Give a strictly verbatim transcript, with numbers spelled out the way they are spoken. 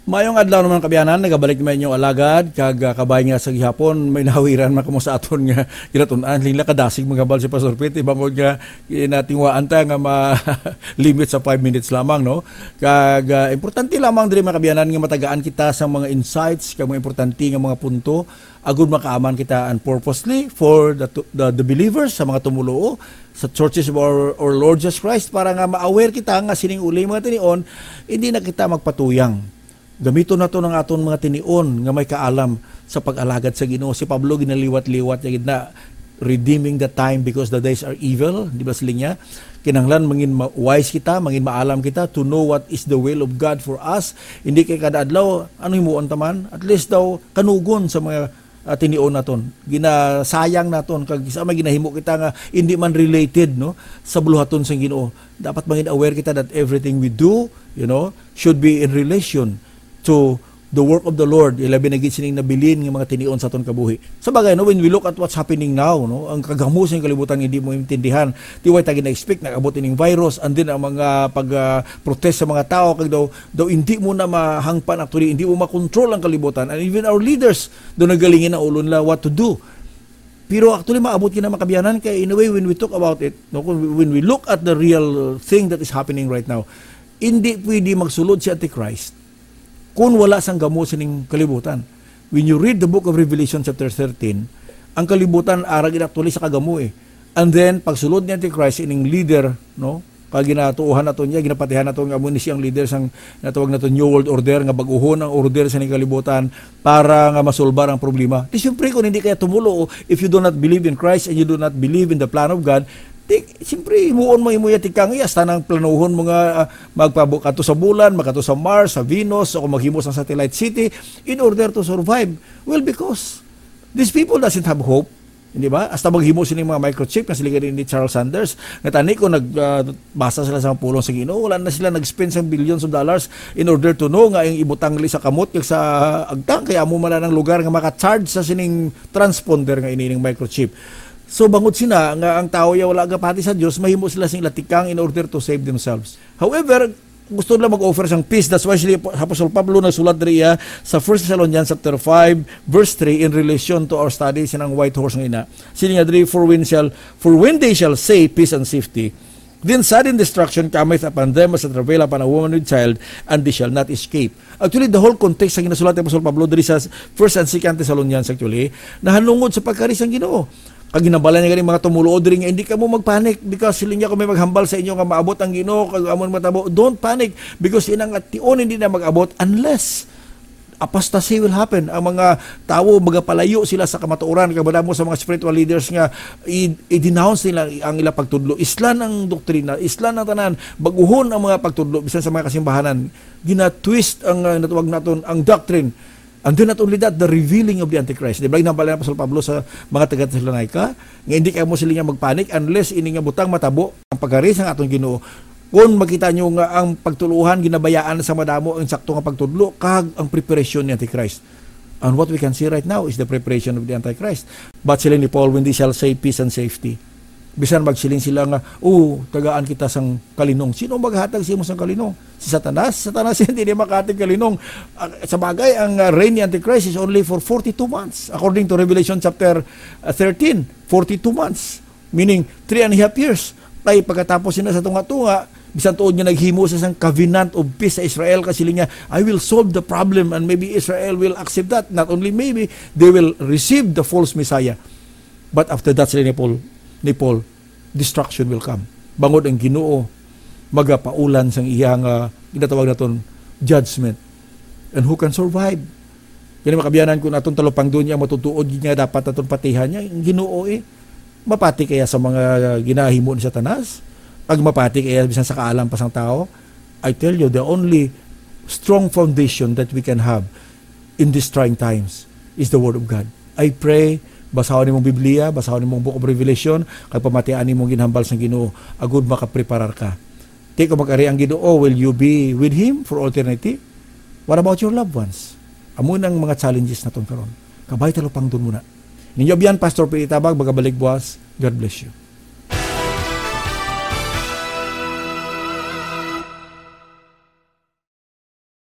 Mayong adlaw naman, kaabyanan. Nagabalik naman inyong alagad, kag, ah, kabay nga sa gihapon, may nahawiran man kamo sa aton nga ginatun-an. Lingla kadasig maghambal si Pastor Pete, bangod nga ginatingwaan ta nga ma-limit sa five minutes lamang, no? Kag, ah, importante lamang diri, mga kaabyanan, nga matagaan kita sa mga insights kag mga importante nga mga punto, agud makaaman kita, and purposely for the, the, the believers, sa mga tumuluo sa churches of our, our Lord Jesus Christ, para nga ma-aware kita nga sining uli mga tinion, hindi na kita magpatuyang. Gamiton naton ang aton mga tinion nga may kaalam sa pag-alagad sa Ginoo. Si Pablo ginaliwat-liwat niya gid na, "Redeeming the time because the days are evil." Di ba siling niya? Kinahanglan mangin ma-, wise kita, mangin maalam kita to know what is the will of God for us. Hindi kay kada adlaw, ano himuon ta man? At least daw, kanugon sa mga, ah, tinion naton. Ginasayang naton, kag sa may ginahimo kita nga hindi man related, no, sa buluhaton sang Ginoo. Dapat mangin aware kita that everything we do, you know, should be in relation to the work of the Lord, ilabi na gid sining nabilin nga mga tinion sa aton kabuhi. Sa bagay, no, when we look at what's happening now, no, ang kagamo sa kalibutan nga hindi mo intindihan. Ti way ta gina-expect, nag-abot ining virus, and then ang mga pag, ah, protest sa mga tao, kag daw, daw hindi mo na mahangpan, actually, hindi mo makontrol ang kalibutan, and even our leaders, daw nagalingin ang ulo nila what to do. Pero actually, maabot gid na, mga kaabyanan, kay in a way, when we talk about it, no, kung, when we look at the real thing that is happening right now, hindi pwede magsulod si Antichrist kung wala sang gamo sining kalibutan. When you read the book of Revelation chapter thirteen, ang kalibutan ara gid actually sa kagamo, eh. And then, pagsulod ni Antichrist, ining leader, no, kag ginatuohan nato niya, ginapatihan nato nga amo ni siyang leader sang natawag nato New World Order, nga bag-ohon ang order sa ning kalibutan para nga masolbar ang problema. Di siyempre, kung hindi kaya tumulo, if you do not believe in Christ and you do not believe in the plan of God, di, siyempre, himuon mo imo ya tikang, iya, hasta nang planuhon mo nga, ah, magpabo-, kadto sa bulan, makadto sa Mars, sa Venus, o kung maghimo sa satellite city in order to survive. Well, because these people doesn't have hope. Hindi ba? Hasta maghimo sini mga microchip nga sila ni Charles Sanders. Nga tani ko nag, ah, basa sila sa pulong sa Ginoo, wala na sila nag-spend sang billions of dollars in order to know nga ang ibutang li sa kamot kag sa agtang, kaya amo man ang lugar nga maka-charge sa sining transponder nga ini ning microchip. So, bangod sina nga ang tawo ya wala gapati sa Dios, mahimo sila sing latikang in order to save themselves. However, gusto nila mag-offer sang peace. That's why si Apo-, Apostol Pablo nagsulat diri iya sa First Thessalonians chapter five, verse three, in relation to our study sinang white horse nga ina. Sini nga diri, "For when shall, for when they shall say, 'Peace and safety,' then sudden destruction cometh upon them as a travail upon a woman with child, and they shall not escape." Actually, the whole context sa ginasulat ni Apostol Pablo diri sa First and Second Thessalonians, actually, nahanungod sa pagkari sang Ginoo. Kag ginhambal niya gani mga tumuluo diri nga, "Hindi kamo magpanic, because siling niya, kung may maghambal sa inyo nga maabot ang Ginoo, kag amo ang matabo, don't panic, because inang ation hindi na mag-abot unless apostasy will happen." Ang mga tawo magapalayo sila sa kamatuoran, kag madamo sa mga spiritual leaders nga i-, i-denounce nila ang ila pagtudlo. Islan ang doktrina, islan ang tanan, baguhon ang mga pagtudlo, bisan sa mga kasimbahanan. Gina-twist ang, uh, natawag naton ang doctrine. And then not only that, the revealing of the Antichrist. Di ba, ginhambal ni Apostol Pablo sa mga taga-Tesalonica, nga hindi kamo sila nga magpanik unless ini nga butang matabo ang pagkari sang aton Ginoo. Kung makita nyo nga ang pagtuluhan, ginabayaan sa madamo ang sakto nga pagtudlo, kag ang preparasyon ni Antichrist. And what we can see right now is the preparation of the Antichrist. But sila ni Paul, "When they shall say, 'Peace and safety.'" Bisan magsiling sila nga, "Oh, tagaan kita sang kalinong." Sino ang maghatag sa imo sang kalinong? Si Satanas? Si Satanas hindi niya makahatag kalinong. Ah, sa bagay, ang, ah, reign ni Antichrist is only for forty-two months, according to Revelation chapter, ah, thirteen. Forty-two months, meaning three and a half years. Kay pagkatapos sina sa tunga-tunga, bisan tuod nga naghimo sa isang covenant of peace sa Israel, kasiling niya, "I will solve the problem," and maybe Israel will accept that. Not only maybe, they will receive the false Messiah. But after that, sila ni Paul, ni Paul, destruction will come. Bangod ang Ginoo magapaulan sang iya nga ginatawag naton judgment. And who can survive? Kini, mga kaabyanan, kung aton talupangdon niya, matutuod gid nga dapat aton patihan niya ang Ginoo, eh. Mapati kaya sa mga ginahimo ni Satanas? Ag mapati kaya bisan sa kaalam pa sang tawo? I tell you, the only strong foundation that we can have in these trying times is the Word of God. I pray, basahon nimong Biblia, basahon nimong Book of Revelation, kag pamatian nimong ginhambal sang Ginoo, agud makapreparar ka. Ti kung mag-ari ang Ginoo, will you be with Him for all eternity? What about your loved ones? Amo nang mga challenges naton karon. Kabay talupangdon mo na. Ninyo abyan, Pastor Pete Tabag, magabalik buwas. God bless you.